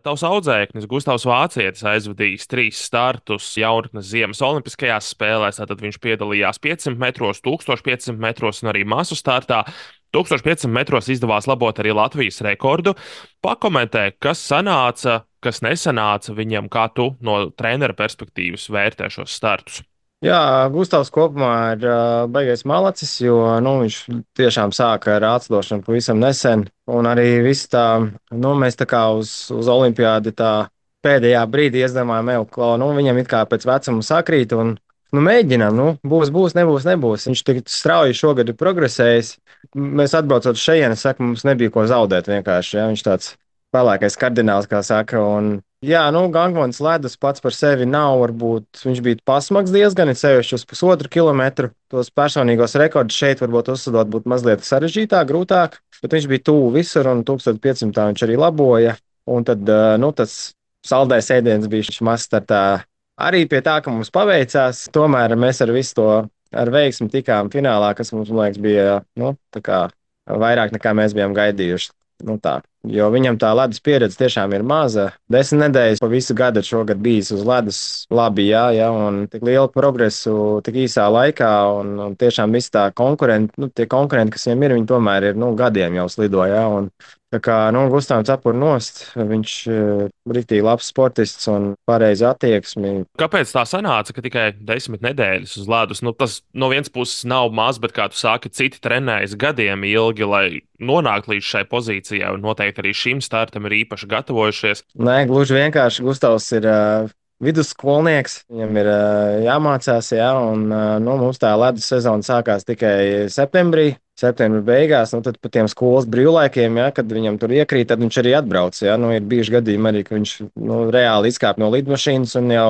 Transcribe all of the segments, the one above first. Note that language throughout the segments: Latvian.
Tavs audzēknis Gustavs Vācietis aizvadījis 3 startus jaunatnes ziemas olimpiskajās spēlēs. Tad viņš piedalījās 500 metros, 1500 metros un arī masu startā. 1500 metros izdevās labot arī Latvijas rekordu. Pakomentē, kas sanāca, kas nesanāca viņam, kā tu no trenera perspektīvas vērtē šos startus. Jā, Gustavs kopumā ir baigais malacis, jo viņš tiešām sāka ar atslēgšanu pavisam nesen. Un arī viss tā, mēs tā kā uz olimpiādi tā pēdējā brīdī iedomājām, ka viņam it kā pēc vecuma sakrīt. Un, mēģinām, nebūs. Viņš tik strauji šogad ir progresējis. Mēs atbraucot šeit, mums nebija ko zaudēt vienkārši. Ja? Viņš tāds pelēkais kardināls, kā saka. Un, jā, Gangvons ledus pats par sevi nav, varbūt viņš bija pasmags diezgan, ir sevišķi uz 1,5 kilometru. Tos personīgos rekordus šeit varbūt uzsadot būtu mazliet sarežģītāk, grūtāk, bet viņš bija tuvu visur un 1500 viņš arī laboja. Un tad, tas saldais ēdiens bija šis mazstartā. Arī pie tā, ka mums paveicās, tomēr mēs ar visu to ar veiksmi tikām finālā, kas mums, man liekas, bija, tā kā vairāk nekā mēs bijām gaidījuši. Tā. Jo viņam tā ledus pieredze tiešām ir maza. 10 nedēļas pa visu gadu šogad bijis uz ledus labi, jā, un tik lielu progresu tik īsā laikā, un tiešām visi tā konkurenti, tie konkurenti, kas viņam ir, viņi tomēr ir, gadiem jau slido, jā, un tā kā, Gustavs cepur nost, viņš riktīgi labs sportists un pareizi attieksmi. Kāpēc tā sanāca, ka tikai 10 nedēļas uz ledus? Tas no vienas puses nav maz, bet, kā tu sāki, citi trenējas gadiem ilgi, lai nonāktu līdz šai pozīcijai, un noteikti arī šim startam ir īpaši gatavojušies. Nē, gluži vienkārši Gustavs ir vidusskolnieks, viņam ir jāmācās, jā, un mums tā ledus sezona sākās tikai septembrī. Septembra beigās, tad pa tiem skolas brīvlaikiem, ja, kad viņam tur iekrīt, tad viņš arī atbrauc. Ja. Ir bijuši gadījumi arī, ka viņš reāli izkāp no lidmašīnas un jau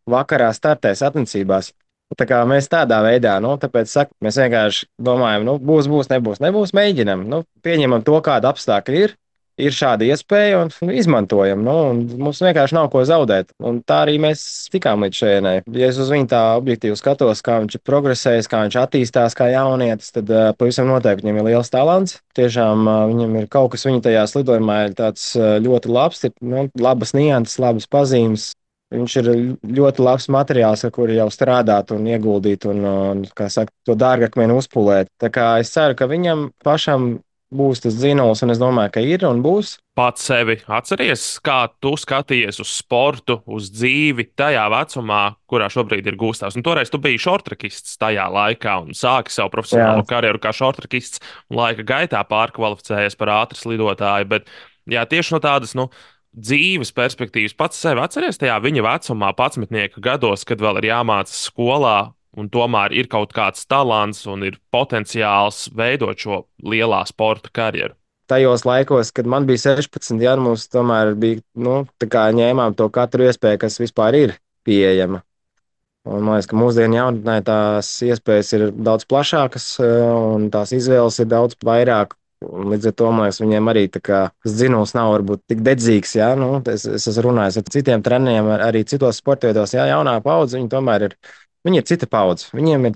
vakarā startē sacensībās. Tā kā mēs tādā veidā, tāpēc saku, mēs vienkārši domājam, nebūs, mēģinam, pieņemam to, kāda apstākļi ir. Ir šāda iespēja un izmantojam. Un mums vienkārši nav ko zaudēt. Un tā arī mēs tikām līdz šejienai. Ja es uz viņu tā objektīvi skatos, kā viņš ir progresējis, kā viņš attīstās kā jaunietis, tad pavisam noteikti viņam ir liels talants. Tiešām viņam ir kaut kas viņa tajā slidojumā ir tāds ļoti labs, ir labas nianses, labas pazīmes. Viņš ir ļoti labs materiāls, ar kuru jau strādāt un ieguldīt un kā saka, to dārgakmeni uzpulēt. Tā kā es ceru, ka viņam pašam būs tas dzinols, un es domāju, ka ir un būs. Pats sevi atceries, kā tu skaties uz sportu, uz dzīvi tajā vecumā, kurā šobrīd ir Gustavs. Toreiz tu biji šortrakists tajā laikā un sāki savu profesionālo karjeru kā šortrakists un laika gaitā pārkvalificējies par ātras lidotāju. Bet jā, tieši no tādas dzīves perspektīvas pats sevi atceries tajā viņa vecumā, 11 gados, kad vēl ir jāmācās skolā. Un tomēr ir kaut kāds talants un ir potenciāls veidot šo lielā sporta karjeru. Tajos laikos, kad man bija 16, jā, mums tomēr bija, tā kā ņēmām to katru iespēju, kas vispār ir pieejama. Un man liekas, ka mūsdienu jaunatnē tās iespējas ir daudz plašākas un tās izvēles ir daudz vairāk. Un līdz ar to, man liekas, viņiem arī tas dzinums nav varbūt tik dedzīgs, jā. Es esmu runājis ar citiem treneriem, arī citos sportveidos, jā, jaunā paudze, viņi tomēr ir. Viņi ir cita paudze, viņiem ir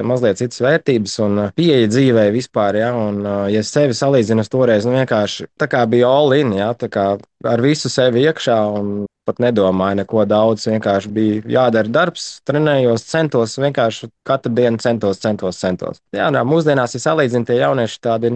mazliet citas vērtības un pieeja dzīvē vispār. Ja, un, ja es sevi salīdzinu toreiz, vienkārši tā kā bija all in, ja, tā kā ar visu sevi iekšā un pat nedomāju neko daudz. Vienkārši bija jādara darbs, trenējos, centos, vienkārši katru dienu centos. Jā, mūsdienās, ja salīdzinu, tie jaunieši tādi,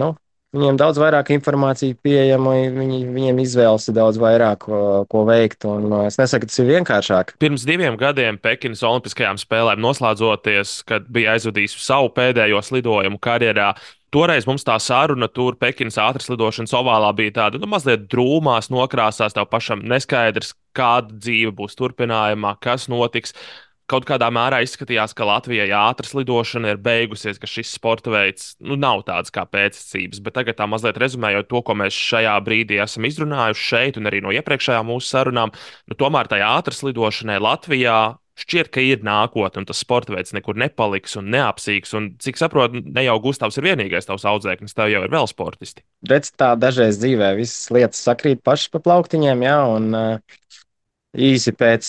viņiem daudz vairāk informācija pieejama, viņiem izvēles ir daudz vairāk, ko veikt. Es nesaku, ka tas ir vienkāršāk. Pirms 2 gadiem Pekinas Olimpiskajām spēlēm noslēdzoties, kad bija aizvadījis savu pēdējo slidojumu karjerā, toreiz mums tā saruna tur Pekinas ātras lidošanas ovālā bija tāda mazliet drūmās nokrāsās, tev pašam neskaidrs, kāda dzīve būs turpinājumā, kas notiks. Kaut kādā mērā izskatījās, ka Latvijai ātras lidošana ir beigusies, ka šis sporta veids nav tāds kā pēctecības. Bet tagad, tā mazliet rezumējot to, ko mēs šajā brīdī esam izrunājuši šeit, un arī no iepriekšējām mūsu sarunām, tomēr tajā ātras lidošanai Latvijā šķiet, ka ir nākotne, un tas sporta veids nekur nepaliks un neapsīks. Un, cik saprotu, ne jau Gustavs ir vienīgais tavs audzēknis, tev jau ir vēl sportisti. Redz, tā dažreiz dzīvē visas lietas sakrīt pašas pa plauktiņiem, jā, un īsi pēc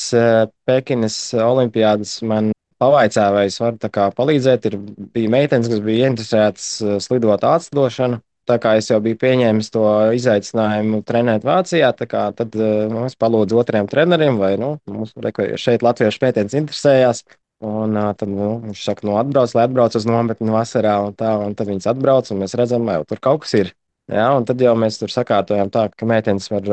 Pekinas olimpiādas man pavaicāja, vai es varu palīdzēt. Bija meitenes, kas bija interesētas slidot ātrlidošanu. tā kā es jau biju pieņēmis to izaicinājumu trenēt Vācijā, tad es palūdzu otriem treneriem, vai mums šeit latviešu pētījums interesējās. Tad viņš saka, atbrauc, lai atbrauc uz nometni vasarā, un tad viņas atbrauc, un mēs redzam, jau tur kaut kas ir. Jā, un tad jau mēs tur sakārtojam tā, ka meitenes var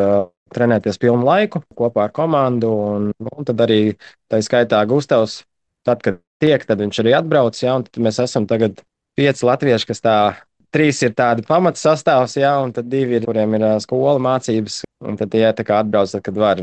trenēties pilnu laiku kopā ar komandu, un tad arī tā skaitā Gustavs, tad, kad tiek, tad viņš arī atbrauc, jā, un tad mēs esam tagad 5 latvieši, kas tā, 3 ir tādi pamats sastāvs, jā, un tad 2 ir, kuriem ir skola mācības, un tad tie tā kā atbrauc, tad, kad var,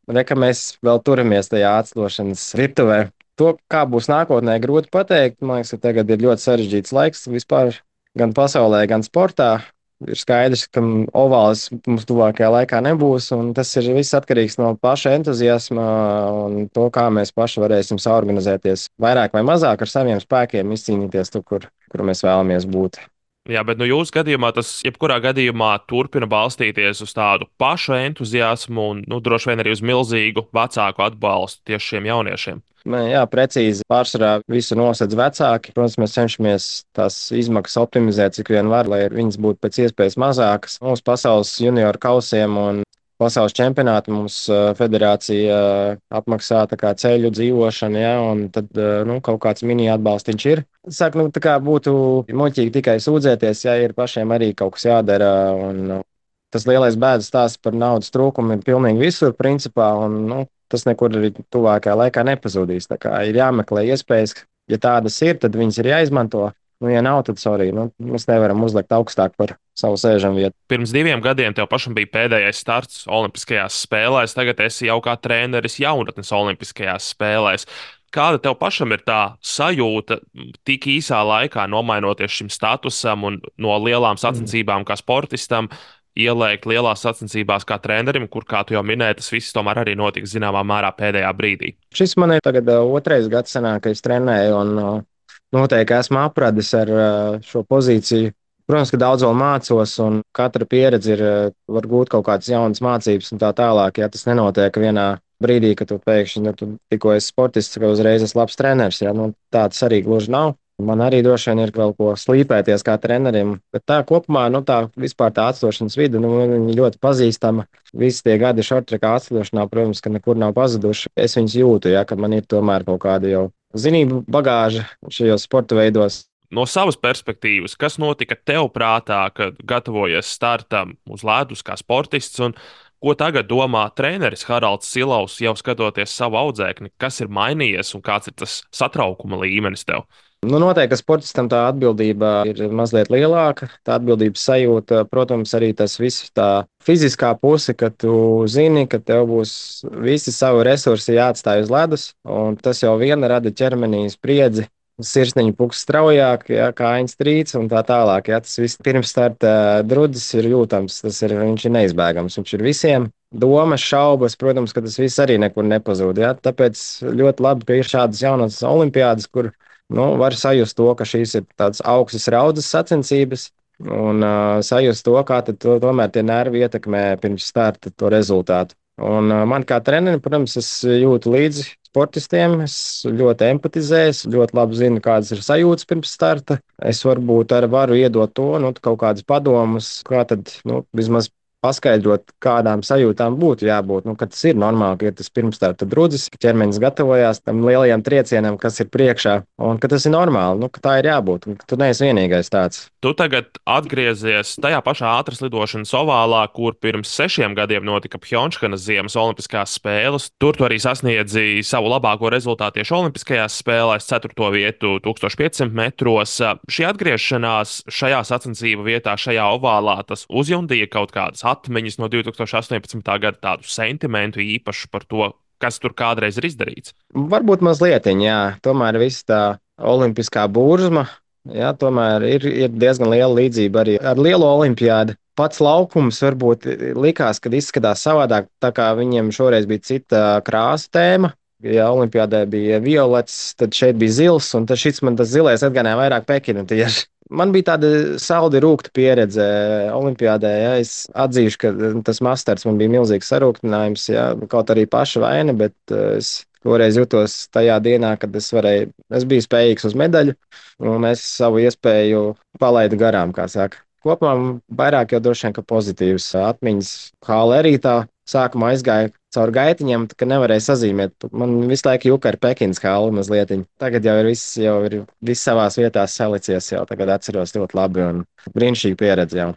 Reka mēs vēl turamies tajā atslošanas virtuvē. To, kā būs nākotnē, grūti pateikt. Man liekas, ka tagad ir ļoti sarežģīts laiks vispār gan pasaulē, gan sportā. Ir skaidrs, ka ovāls mums tuvākajā laikā nebūs, un tas ir viss atkarīgs no paša entuziasma un to, kā mēs paši varēsim saorganizēties vairāk vai mazāk ar saviem spēkiem, izcīnīties tur, kur mēs vēlamies būt. Jā, bet jūsu gadījumā tas jebkurā gadījumā turpina balstīties uz tādu pašu entuziasmu un droši vien arī uz milzīgu vecāku atbalstu tieši šiem jauniešiem. Jā, precīzi. Pārsvarā visu nosedz vecāki. Protams, mēs cenšamies tās izmaksas optimizēt, cik vien var, lai viņas būtu pēc iespējas mazākas. Mūsu pasaules junioru kausiem un pasaules čempionāti mums federācija apmaksā ceļu dzīvošanu, ja, un tad kaut kāds mini atbalstiņš ir. Saka, tā kā būtu muļķīgi tikai sūdzēties, ja ir pašiem arī kaut kas jādara. Tas lielais bēdas stāsts par naudas trūkumu ir pilnīgi visur, principā, un tas nekur arī tuvākajā laikā nepazudīs. Tā kā ir jāmeklē iespējas, ja tādas ir, tad viņas ir jāizmanto. Ja nav, tad sorry, mēs nevaram uzlikt augstāk par savu sēžam vietu. Pirms 2 gadiem tev pašam bija pēdējais starts Olimpiskajās spēlēs, tagad esi jau kā treneris jaunatnes Olimpiskajās spēlēs. Kāda tev pašam ir tā sajūta tik īsā laikā nomainoties šim statusam un no lielām sacensībām kā sportistam? Ieliekt lielās sacensībās kā trenerim, kur, kā tu jau minēji, tas viss tomēr arī notiks zināmā mērā pēdējā brīdī. Šis man ir tagad 2. gads senāk, ka es trenēju, un noteikti esmu apradis ar šo pozīciju. Protams, ka daudz vēl mācos, un katra pieredze var gūt kaut kādas jaunas mācības un tā tālāk. Ja tas nenotiek vienā brīdī, kad tu pēkšņi tu tikko esi sportists, ka uzreiz esi labs treneris, ja? Tā tas arī gluži nav. Man arī droši vien ir vēl ko slīpēties kā trenerim, bet tā kopumā, tā vispār tā atstošanas vide, viņa ļoti pazīstama. Visi tie gadi šortrekā atstošanā, protams, ka nekur nav pazuduši. Es viņus jūtu, ja, ka man ir tomēr kaut kāda jau zinību bagāža šajos sporta veidos. No savas perspektīvas, kas notika tev prātā, kad gatavojies startam uz ledus kā sportists, un ko tagad domā treneris Haralds Silaus, jau skatoties savu audzēkni, kas ir mainījies un kāds ir tas satraukuma līmenis tev? Noteikti, ka sportistam tā atbildība ir mazliet lielāka. Tā atbildības sajūta, protams, arī tas viss tā fiziskā puse, ka tu zini, ka tev būs visi savi resursi jāatstāj uz ledus, un tas jau viena rada ķermenī spriedzi. Sirsniņa puks straujāk, ja, kājiņas trīc un tā tālāk. Ja, tas viss pirms starta drudzis ir jūtams, viņš ir neizbēgams. Viņš ir visiem. Domas, šaubas, protams, ka tas viss arī nekur nepazūd. Ja. Tāpēc ļoti labi, ka ir šādas jaunas olimpiādas, kur var sajust to, ka šīs ir tādas augstas raudzes sacensības un sajust to, kā tomēr tie nervi ietekmē pirms starta to rezultātu. Un man kā trenerim, protams, es jūtu līdzi sportistiem, es ļoti empatizēju, es ļoti labi zinu, kādas ir sajūtas pirms starta. Es varbūt arī varu iedot to, kaut kādus padomus, kā tad, vismaz paskaidrot, kādām sajūtām būtu jābūt. Ka tas ir normāli, ka ir tas pirmstarta drudzis, ka ķermenis gatavojās tam lielajam triecienam, kas ir priekšā, un ka tas ir normāli, ka tā ir jābūt, un ka tu neesi vienīgais tāds. Tu tagad atgriezies tajā pašā ātras lidošanas ovālā, kur pirms 6 gadiem notika Pjončhanas Ziemas Olimpiskās spēles. Tur tu arī sasniedzi savu labāko rezultātu tieši Olimpiskajās spēlēs, 4. vietu 1500 metros. Šī atgriešanās šajā sacensību vietā, šajā ovālā, tas uzjundīja kaut kādas atmiņas no 2018. gada, tādu sentimentu īpašu par to, kas tur kādreiz ir izdarīts. Varbūt mazliet, jā. Tomēr viss tā olimpiskā burzma, jā, tomēr ir diezgan liela līdzība arī ar lielo olimpiādu. Pats laukums varbūt likās, kad izskatās savādāk, tā kā viņiem šoreiz bija cita krāsa tēma. Ja olimpiādē bija violets, tad šeit bija zils, un tas zilais atgādināja vairāk Pekinu tieši. Man bija tāda saldi rūkta pieredze olimpiādē. Ja. Es atzīšu, ka tas masters man bija milzīgs sarūktinājums, ja. Kaut arī paša vaina, bet es toreiz jutos tajā dienā, kad es biju spējīgs uz medaļu, un es savu iespēju palaidu garām, kā saka. kopumā vairāk jau droši vien, ka pozitīvas atmiņas. Hāle arī tā sākumā aizgāja caur gaitiņiem, ka nevarēja sazīmēt. Man visu laiku juka ar Pekinas hāli mazliet. Tagad jau ir viss savās vietās salicies, jau tagad atceros ļoti labi un brīnišķīgi pieredzi jau.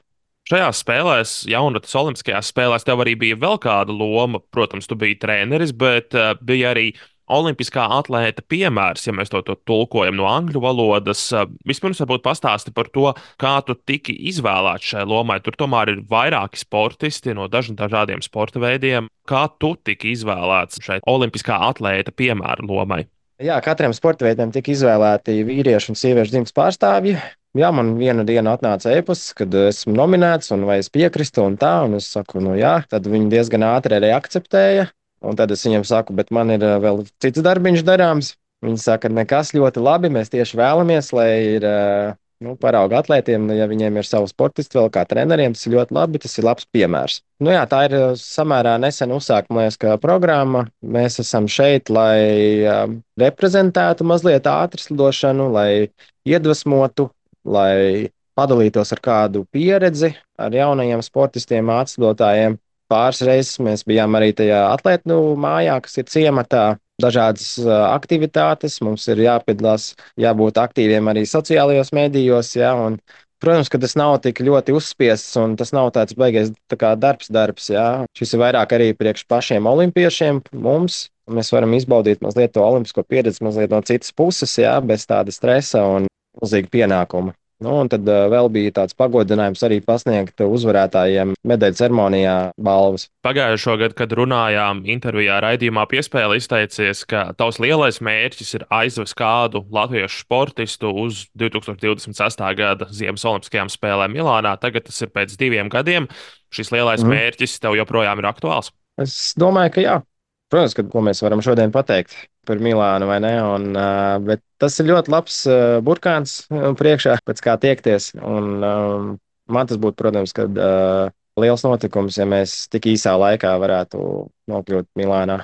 Šajās spēlēs, jaunatnes olimpiskajās spēlēs, tev arī bija vēl kāda loma. Protams, tu biji treneris, bet bija arī olimpiskā atlēta piemērs, ja mēs to tulkojam no angļu valodas. Vispirms, varbūt pastāsti par to, kā tu tiki izvēlēts šai lomai. Tur tomēr ir vairāki sportisti no dažādiem sporta veidiem. Kā tu tiki izvēlēts šai olimpiskā atlēta piemēra lomai? Jā, katram sporta veidam tika izvēlēti vīriešu un sieviešu dzimtas pārstāvji. Jā, man vienu dienu atnāca e-pasts, kad esmu nominēts un vai es piekrītu un tā, un es saku, nu jā, tad viņi diezgan ātri arī akceptēja. Un tad es viņam saku, bet man ir vēl cits darbiņš darāms. Viņi saka, nekas ļoti labi, mēs tieši vēlamies, lai ir parauga atlētiem, ja viņiem ir savi sportisti vēl kā treneriem, tas ir ļoti labi, tas ir labs piemērs. Nu jā, tā ir samērā nesen uzsākta, man liekas, programma. Mēs esam šeit, lai reprezentētu mazliet ātrslidošanu, lai iedvesmotu, lai padalītos ar kādu pieredzi ar jaunajiem sportistiem, ātrslidotājiem. Pāris reizes mēs bijām arī tajā atlētu mājā, kas ir ciematā. Dažādas aktivitātes, mums ir jāpiedalās, jābūt aktīviem arī sociālajos medijos. Ja, un, protams, ka tas nav tik ļoti uzspiests un tas nav tāds baigais darbs. Ja. Šis ir vairāk arī priekš pašiem olimpiešiem mums. Mēs varam izbaudīt mazliet to olimpisko pieredzi mazliet no citas puses, ja, bez tāda stresa un milzīga pienākuma. Nu, un tad vēl bija tāds pagodinājums arī pasniegt uzvarētājiem medaļu ceremonijā balvas. Pagājušo gadu, kad runājām intervijā raidījumā Piespēle, izteicies, ka tavs lielais mērķis ir aizvest kādu latviešu sportistu uz 2026. gada Ziemas Olimpiskajām spēlēm Milānā. Tagad tas ir pēc 2 gadiem. Šis lielais mērķis tev joprojām ir aktuāls? Es domāju, ka jā. Protams, ka ko mēs varam šodien pateikt par Milānu, vai ne? Bet tas ir ļoti labs burkāns priekšā, pēc kā tiekties. Man tas būtu, protams, liels notikums, ja mēs tik īsā laikā varētu nokļūt Milānā.